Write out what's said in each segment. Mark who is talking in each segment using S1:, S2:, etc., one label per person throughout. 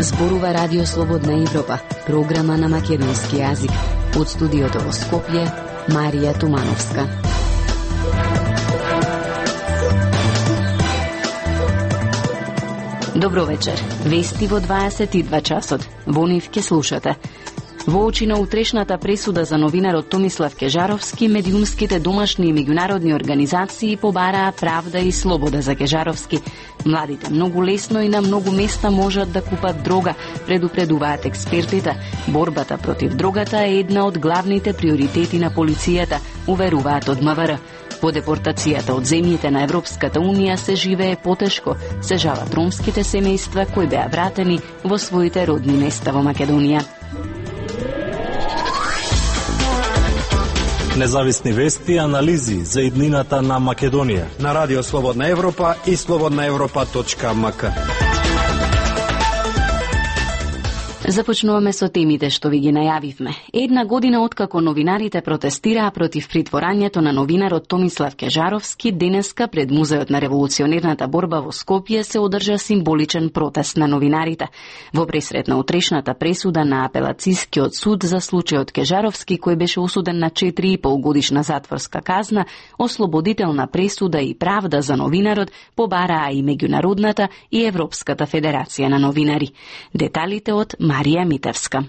S1: Зборува Радио Слободна Европа, програма на македонски јазик. Од студиото во Скопје, Марија Тумановска. Добро вечер. Вести во 22 часот. Во нив ке слушате. Во очи на утрешната пресуда за новинарот Томислав Кежаровски, медиумските домашни и меѓународни организации побараа правда и слобода за Кежаровски. Младите многу лесно и на многу места можат да купат дрога, предупредуваат експертите. Борбата против дрогата е една од главните приоритети на полицијата, уверуваат од МВР. По депортацијата од земјите на Европската Унија се живее потешко, се жалат ромските семејства кои беа вратени во своите родни места во Македонија.
S2: Независни вести и анализи за иднината на Македонија
S3: на Радио Слободна Европа и slobodnaevropa.mk.
S1: Започнуваме со темите што ви ги најавивме. Една година откако новинарите протестираа против притворањето на новинарот Томислав Кежаровски, денеска пред Музеот на револуционерната борба во Скопје се одржа символичен протест на новинарите. Во пресрет на утрешната пресуда на апелацискиот суд за случајот Кежаровски, кој беше осуден на 4,5 годишна затворска казна, ослободителна пресуда и правда за новинарот побараа и меѓународната и Европската федерација на новинари. Деталите од Марија Митевска.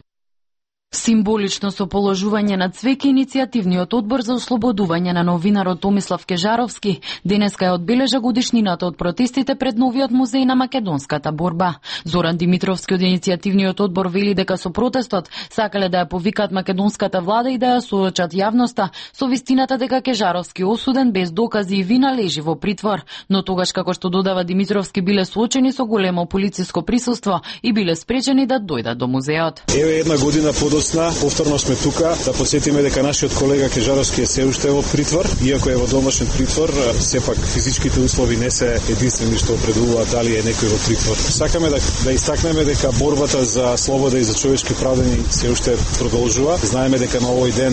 S4: Символично со положување на цвеќе иницијативниот одбор за ослободување на новинарот Томислав Кежаровски денеска ја одбележа годишнината од протестите пред новиот музеј на македонската борба. Зоран Димитровски од иницијативниот одбор вели дека со протестот сакале да ја повикаат македонската влада и да ја соочат јавноста со вистината дека Кежаровски осуден без докази и вина лежи во притвор, но тогаш како што додава Димитровски биле соочени со големо полициско присуство и биле спречени да дојдат до музеот.
S5: Еве една година повторно сме тука да подсетиме дека нашиот колега Кежаровски е се уште во притвор, иако е во домашен притвор, сепак физичките услови не се единствени што определуваат дали е некој во притвор. Сакаме да истакнеме дека борбата за слобода и за човечки правдени се уште продолжува. Знаеме дека на овој ден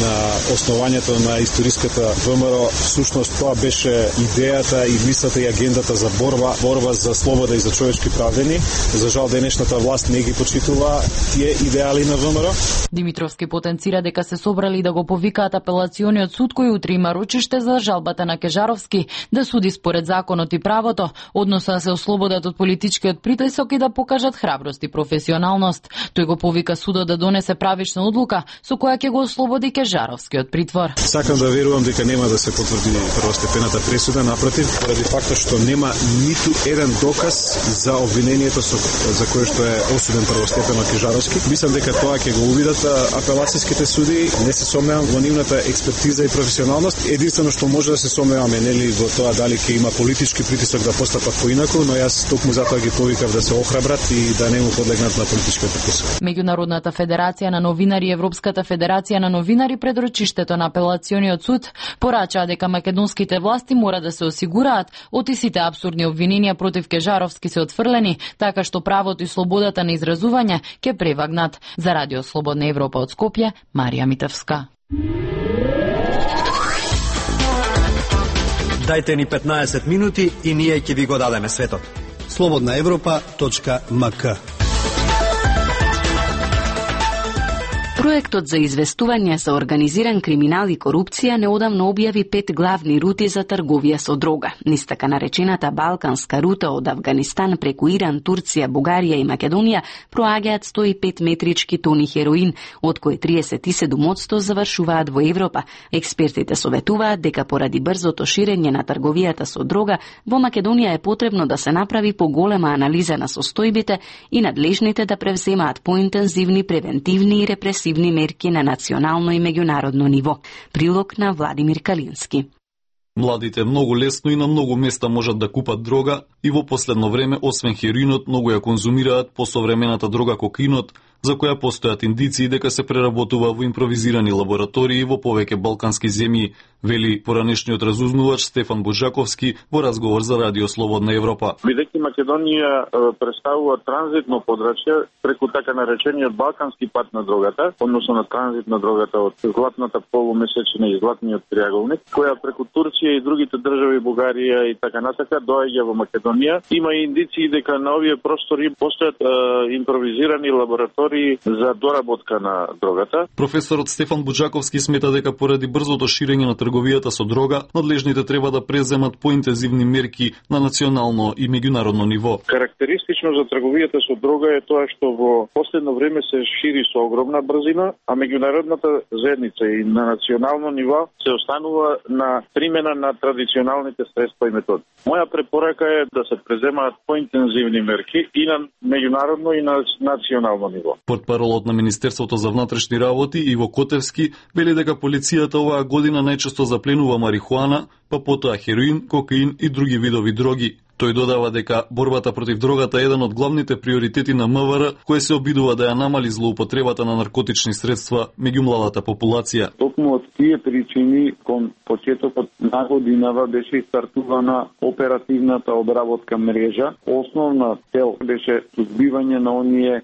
S5: на основањето на историската ВМРО всушност тоа беше идејата и мислата и агендата за борба за слобода и за човечки правдени. За жал денешната власт не ги почитува тие идеали на ВМРО.
S4: Димитровски потенцира дека се собрали да го повикаат апелациониот суд кој утре има рочиште за жалбата на Кежаровски да суди според законот и правото, односно да се ослободат од политичкиот притисок и да покажат храброст и професионалност. Тој го повика судот да донесе правична одлука со која ќе го ослободи Кежаровски од притвор.
S5: Сакам да верувам дека нема да се потврди првостепената пресуда, напротив, поради фактот што нема ниту еден доказ за обвинението за кое што е осуден првостепено Кежаровски. Мислам дека тоа ќе го увидат апелацијските суди, не се сомневам во нивната експертиза и професионалност. Единствено што може да се сомневаме нели во тоа дали ќе има политички притисок да постапат поинаку, но јас токму затоа ги повикав да се охрабрат и да не му подлегнат на политичкиот притисок.
S4: Меѓународната федерација на новинари и Европската федерација на новинари пред рочиштето на апелациониот суд порачаа дека македонските власти мора да се осигураат од сите апсурдни обвиненија против Кежаровски се отфрлени, така што правото и слободата на изразување ќе превагнат. За Радио Слободна Европа од Скопје, Марија Митевска.
S3: Дајте ни 15 минути и ние ќе ви го дадеме светот. slobodnaevropa.mk.
S1: Проектот за известување за организиран криминал и корупција неодамно објави 5 главни рути за трговија со дрога. Низ така наречената Балканска рута од Авганистан преку Иран, Турција, Бугарија и Македонија проаѓаат 105 метрички тони хероин, од кои 37% завршуваат во Европа. Експертите советуваат дека поради брзото ширење на трговијата со дрога, во Македонија е потребно да се направи поголема анализа на состојбите и надлежните да превземаат поинтензивни превентивни и репресивни мерки на национално и меѓународно ниво. Прилог на Владимир Калински.
S6: Младите многу лесно и на многу места можат да купат дрога и во последно време, освен хероинот, многу ја конзумираат посовремената дрога кокаинот, за која постојат индиции дека се преработува во импровизирани лаборатории во повеќе балкански земји, вели поранешниот разузнувач Стефан Буџаковски во разговор за Радио Слободна Европа.
S7: Бидејќи Македонија представува транзитно подрачје преку така наречениот балкански пат на дрогата, односно на транзит на дрогата од златната полумесечина и златниот триаголник, која преку Турција и другите држави, Бугарија и така натака доаѓа во Македонија. Има индиции дека на овие простори постојат импровизирани лаборатории за доработка на дрогата.
S6: Професорот Стефан Буџаковски смета дека поради брзото ширење на трговијата со дрога, надлежните треба да преземат поинтензивни мерки на национално и меѓународно ниво.
S7: Карактеристично за трговијата со дрога е тоа што во последно време се шири со огромна брзина, а меѓународната заедница и на национално ниво се останува на примена на традиционалните средства и методи. Моја препорака е да се преземаат поинтензивни мерки и на меѓународно и на национално ниво.
S6: Портпаролот на Министерството за внатрешни работи Иво Котевски вели дека полицијата оваа година најчесто запленува марихуана, па потоа хероин, кокаин и други видови дроги. Тој додава дека борбата против дрогата е еден од главните приоритети на МВР, кој се обидува да ја намали злоупотребата на наркотични средства меѓу младата популација.
S7: Токму од тие причини, кон почетокот на годинава беше стартувана оперативната обработка мрежа. Основна цел беше сузбивање на оние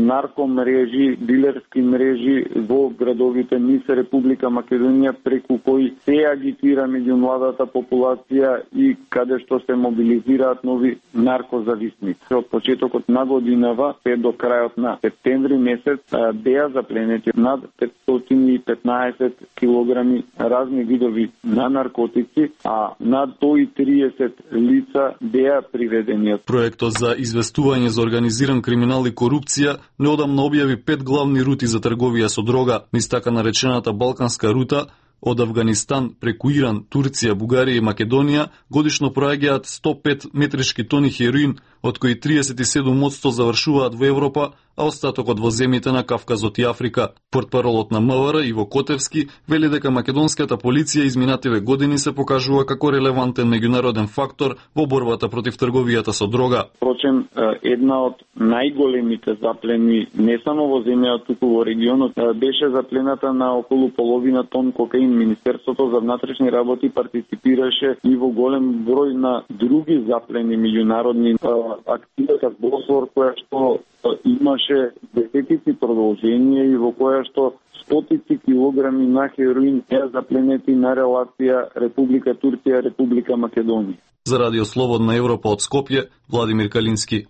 S7: наркомрежи, дилерски мрежи во градовите низ Република Македонија, преку кои се агитира меѓу младата популација и каде што се мобилизира нови наркозависници. Од почетокот на годинава се до крајот на септември месец беа запленети над 515 килограми разни видови на наркотици, а над 130 лица беа приведени.
S6: Проектот за известување за организиран криминал и корупција неодамна објави 5 главни рути за трговија со дрога, низ така наречената Балканска рута, од Авганистан преку Иран, Турција, Бугарија и Македонија годишно проаѓаат 105 метрички тони хероин, од кои 37% завршуваат во Европа, а остатокот во земјите на Кавказот и Африка. Портпаролот на МВР Иво Котевски вели дека македонската полиција изминативе години се покажува како релевантен меѓународен фактор во борбата против трговијата со дрога.
S7: Впрочем, една од најголемите заплени не само во земјата, туку во регионот, беше заплената на околу половина тон кокаин. Министерството за внатрешни работи партиципираше и во голем број на други заплени меѓународни акцијата Босфор, која што имаше десетици продолжение и во која што стотици килограми на хероин беа запленети на релација Република Турција, Република Македонија.
S6: За Радио Слободна Европа од Скопје, Владимир Калински.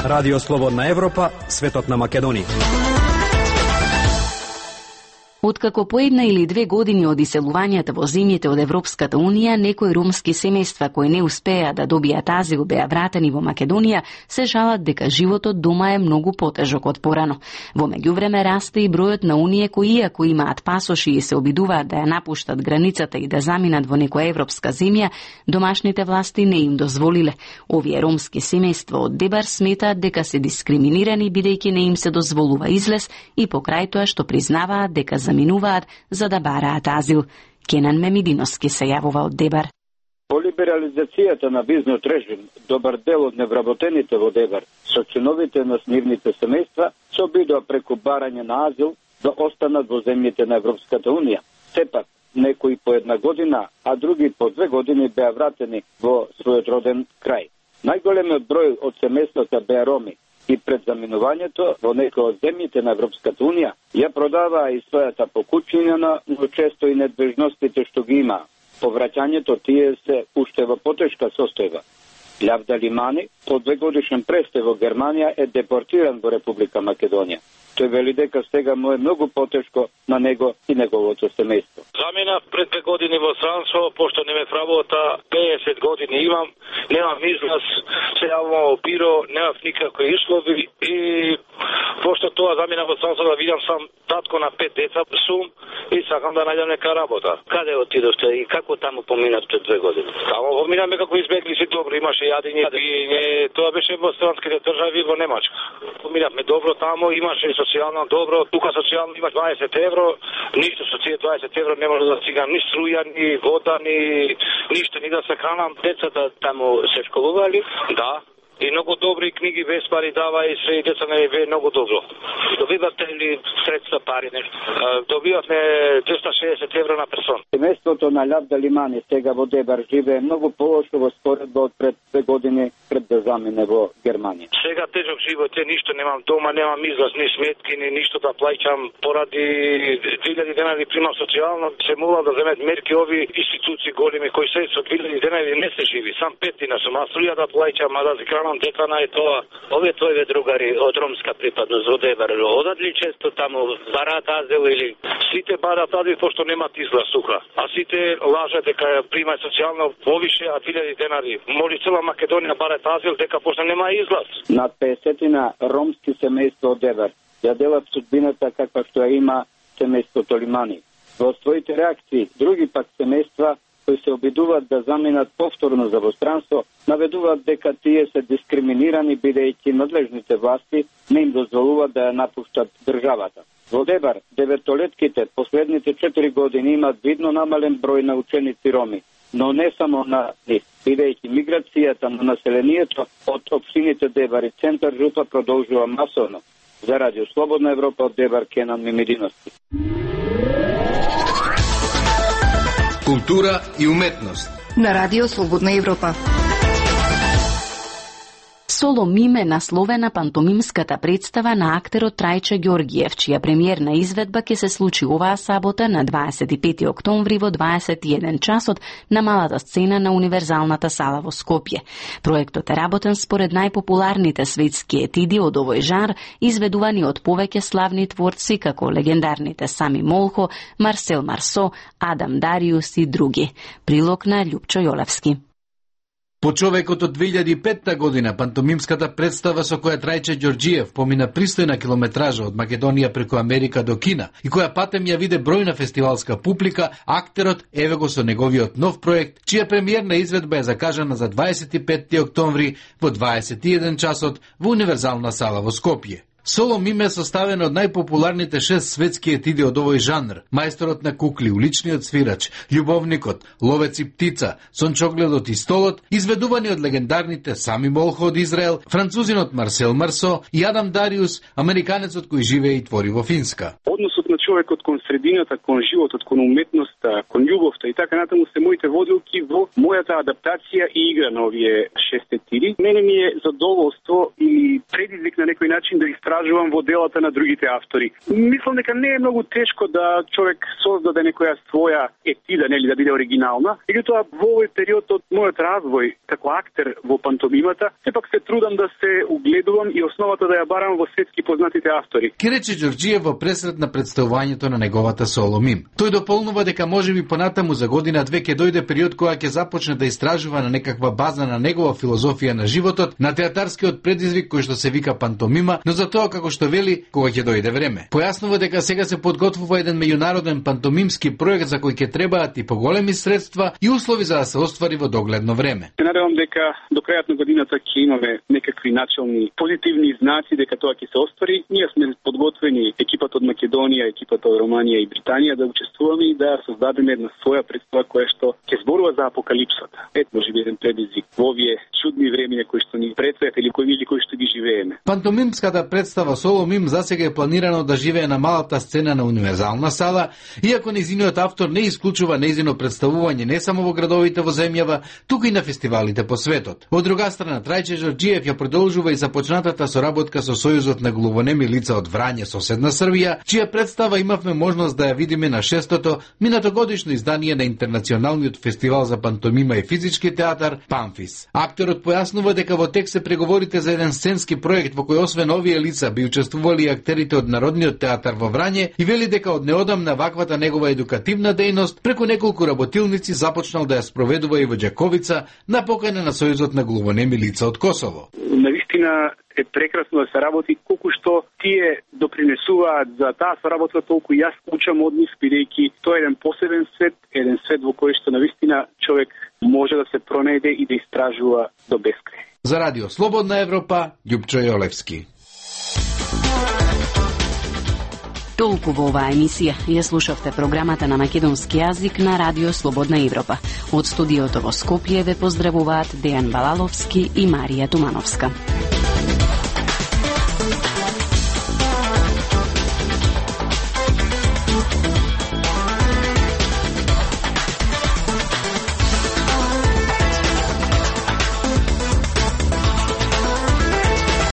S3: Радио Слободна Европа, светот на Македонија.
S1: Откако по 1 или 2 години од иселувањето во земјите од Европската Унија, некои ромски семејства кои не успеа да добијат азил беа вратени во Македонија, се жалат дека животот дома е многу потежок од порано. Во меѓувреме расте и бројот на оние кои, иако имаат пасоши и се обидуваат да ја напуштат границата и да заминат во некоја европска земја, домашните власти не им дозволиле. Овие ромски семејства од Дебар сметаат дека се дискриминирани бидејќи не им се дозволува излез и покрај тоа што признаваат дека заминуваат за да бараат азил. Кенан Мемидиновски се јавува од Дебар.
S8: По либерализацијата на визниот режим, добар дел од невработените во Дебар со синовите на нивните семејства се обидува преку барање на азил да останат во земјите на Европската Унија. Сепак, некои по 1 година, а други по 2 години беа вратени во својот роден крај. Најголемиот број од семејствата беа роми и пред заминувањето во некои од земјите на Европската Унија ја продаваа и својата покучина, но често и недвижностите што ги има. По враќањето тие се уште во потешка состојба. Лјавда Лимани, по 2 годишен престој во Германија, е депортиран во Република Македонија. Тој вели дека сега му е многу потешко на него и неговото семејство.
S9: Заминав пред 2 години во странство, пошто не ме вработа, 50 години имам, немам излаз, се јавувам во биро, немав никакви услови и пошто тоа заминав во странство да видам сам татко на 5 деца сум и сакам да најдам нека работа. Каде отидовте и како таму поминавте 2 години? Таму поминаме како избеглици добро, имаше јадење, пиење, тоа беше во странските држави во Немачка. Поминавме добро таму, имаше социјално добро, тука социјално имаш 20 евро, ништо со тие 20 евро не може да стигам ни струја, ни вода, ни ништо, ни да се хранам. Децата таму се школували, да, И многу добри книги без пари дава и се и деца не е многу добро. Добивате ли средства пари нешто? Добивате 260 евро на персон.
S8: Семејството на Лавда Лимани сега во Дебар живее многу полошо во споредба од пред 2 години пред да замине во Германија.
S9: Сега тежок живот е, ништо немам дома, немам излаз, ни сметки, ни ништо да плаќам, поради 2000 денари примам социјално, се молам да земат мерки ови институции големи кои се со 2000 денари не се живи, сам 5 дена сум, а струја да плаќам, а да згранам декана е тоа. Овие твои другари од ромска припадност во Дебар, одат ли често таму барат азил или сите барат азил пошто немат излаз сука, а сите лажат дека примаат социјално повише, а 2000 денари. Моли цела Македонија барат азил дека пошто нема излаз.
S8: Над 50 ромски семејства од Дебар ја делат судбината каква што ја има семејството Лимани. Во своите реакции, други пак семејства кои се обидуваат да заминат повторно за востранство, наведуваат дека тие се дискриминирани бидејќи надлежните власти не им дозволуваат да ја напуштат државата. Во Дебар, деветолетките последните 4 години имаат видно намален број на ученици роми, но не само на нив, бидејќи миграцијата на населението од општините Дебар и Центар Жупа продолжува масовно. За Радио Слободна Европа од Дебар, Кенан Мимидиновски.
S10: Култура и уметност
S11: на Радио Слободна Европа.
S1: Соло миме насловена пантомимската представа на актерот Трајче Ѓоргиев, чија премиерна изведба ќе се случи оваа сабота на 25 октомври во 21 часот на малата сцена на Универзалната сала во Скопје. Проектот е работен според најпопуларните светски етиди од овој жар, изведувани од повеќе славни творци како легендарните Сами Молхо, Марсел Марсо, Адам Дариус и други. Прилог на Љупчо Јолевски.
S12: По човекот од 2005 година, пантомимската представа со која Трајче Ѓоргиев помина пристојна километража од Македонија преку Америка до Кина и која патем ја виде бројна фестивалска публика, актерот еве го со неговиот нов проект, чија премиерна изведба е закажана за 25 октомври во 21 часот во Универзална сала во Скопје. Соло миме е составено од најпопуларните 6 светски етиди од овој жанр: Мајсторот на кукли, Уличниот свирач, Љубовникот, Ловец и птица, Сончогледот и столот, изведувани од легендарните Сами Молхо од Израел, французинот Марсел Марсо и Адам Дариус, американецот кој живее и твори во Финска.
S13: Односот на човекот кон средината, кон животот, кон уметноста, кон љубовта и така натаму се моите водилки во мојата адаптација и игра на овие 6 етиди. Мене ми е задоволство и предизвик на некој начин да истражувам во делата на другите автори. Мислам дека не е многу тешко да човек создаде некоја своја етида, нели, да биде оригинална. Меѓутоа, во овој период од мојот развој како актер во пантомимата, сепак се трудам да се угледувам и основата да ја барам во светски познатите автори.
S12: Ке рече Ѓоргиев во пресред на представувањето на неговата соло мим. Тој дополнува дека можеби понатаму за година-две ќе дојде период кога ќе започне да истражува на некаква база на негова филозофија на животот, на театарскиот предизвик кој што се вика пантомима, но за тоа како што вели кога ќе дојде време. Појаснува дека сега се подготвува еден меѓународен пантомимски проект за кој ќе требаат и поголеми средства и услови за да се оствари во догледно време.
S13: Се надевам дека до крајот на годината ќе имаме некакви начални позитивни знаци дека тоа ќе се оствари. Ние сме подготвени, екипата од Македонија, екипата од Романија и Британија, да учествуваме и да создадеме една своја представа која што ќе зборува за апокалипсата. Ето можеби еден предизвик во овие чудни времиња кои што ни предстојат или кои што ги живееме.
S12: Пантомимската представа Соло мим засега е планирано да живее на малата сцена на Универзална сала, иако нејзиниот автор не исклучува нејзино представување не само во градовите во земјава, туку и на фестивалите по светот. Од друга страна, Трајче Ѓоргиев ја продолжува и започнатата соработка со Сојузот на глувонеми лица од Врање, соседна Србија, чија представа имавме можност да ја видиме на 6-тото минатогодишно издание на Интернационалниот фестивал за пантомима и физички театар Памфис. Акторот појаснува дека во тек се преговорите за еден сценски проект во кој освен овие лица би учествували и актерите од Народниот театар во Врање и вели дека од неодамна ваквата негова едукативна дејност преку неколку работилници започнал да ја спроведува и во Ѓаковица на покана на Сојузот на глувонеми лица од Косово.
S13: Навистина е прекрасно да се работи, колку што тие допринесуваат за таа соработка, толку јас учам од нив, бидејќи тоа е еден посебен свет во кој што навистина човек може да се пронајде и да истражува до бескрај.
S12: За Радио Слободна Европа, Љупчо Јолевски.
S1: Толку во оваа емисија. Ја слушавте програмата на македонски јазик на Радио Слободна Европа. Од студиото во Скопје ве поздравуваат Дејан Балаловски и Марија Тумановска.